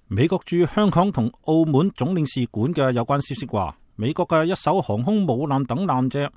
美國駐香港同澳門總領事館嘅有關消息話，美國嘅一艘航空母艦等艦隻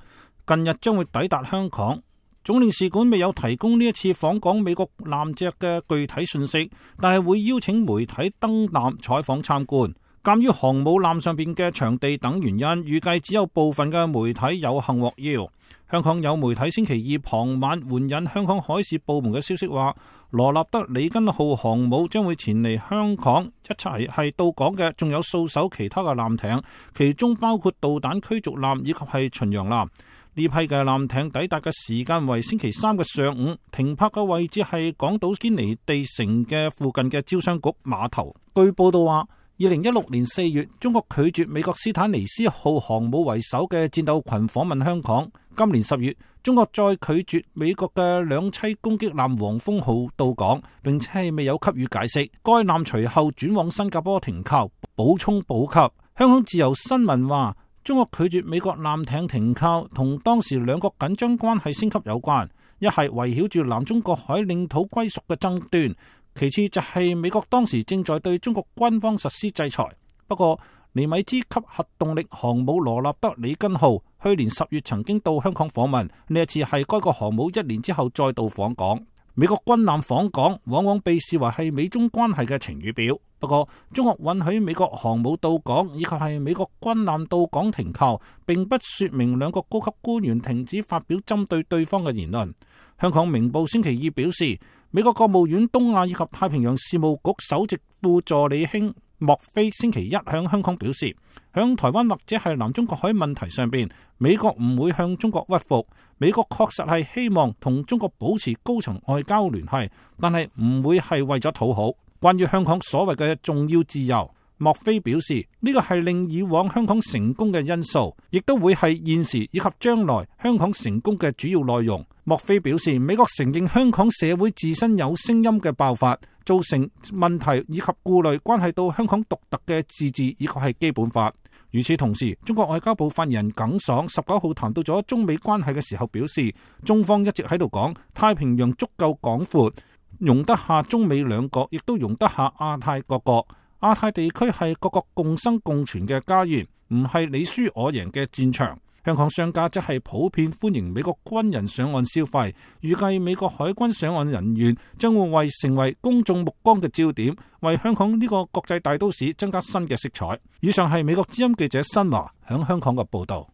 近日將會抵達香港。總領事館未有提供呢一次訪港美國艦隻嘅具體信息，但係會邀請媒體登艦採訪參觀。鑒於航母艦上邊嘅場地等原因，預計只有部分嘅媒體有幸獲邀。香港有媒體星期二傍晚援引香港海事部門嘅消息話，羅納德里根號航母將會前嚟香港，一齊係到港嘅仲有數艘其他嘅艦艇，其中包括導彈驅逐艦以及係巡洋艦。呢批嘅艦艇抵達嘅時間為星期三嘅上午，停泊嘅位置係港島堅尼地城嘅附近嘅招商局碼頭。據報道話，2016年4月，中國拒絕美國斯坦尼斯號航母為首嘅戰鬥群訪問香港。今年10月，中國再拒絕美國嘅兩棲攻擊艦黃蜂號到港，並且係未有給予解釋。該艦隨後轉往新加坡停靠，補充補給。香港自由新聞話，中國拒絕美國艦艇停靠，同當時兩國緊張關係升級有關。一係圍繞住南中國海領土歸屬嘅爭端，其次就係美國當時正在對中國軍方實施制裁。不過，尼米茲級核動力航母羅納德里根號去年10月曾經到香港訪問，呢一次係該個航母1年之後再度訪港。美國軍艦訪港往往被視為係美中關係嘅晴雨表。不過，中國允許美國航母到港以及係美國軍艦到港停靠，並不說明兩個高級官員停止發表針對對方嘅言論。香港明報星期二表示，美國國務院東亞以及太平洋事務局首席副助理卿莫菲星期一向香港表示，響台灣或者係南中國海問題上邊，美國唔會向中國屈服。美國確實係希望同中國保持高層外交聯繫，但係唔會係為咗討好。關於香港所謂嘅重要自由，莫菲表示呢個係令以往香港成功嘅因素，亦都會係現時以及將來香港成功嘅主要內容。莫菲表示，美國承認香港社會自身有聲音嘅爆發造成問題以及顧慮，關係到香港獨特嘅自治以及係基本法。與此同時，中國外交部發言人耿爽19號談到咗中美關係嘅時候表示，中方一直喺度講太平洋足夠廣闊，容得下中美兩國，亦都容得下亞太各國。亞太地區係各國共生共存嘅家園，唔係你輸我贏嘅戰場。香港商家則係普遍歡迎美國軍人上岸消費，預計美國海軍上岸人員將會成為公眾目光嘅焦點，為香港呢個國際大都市增加新嘅色彩。以上係美國之音記者新華響香港嘅報道。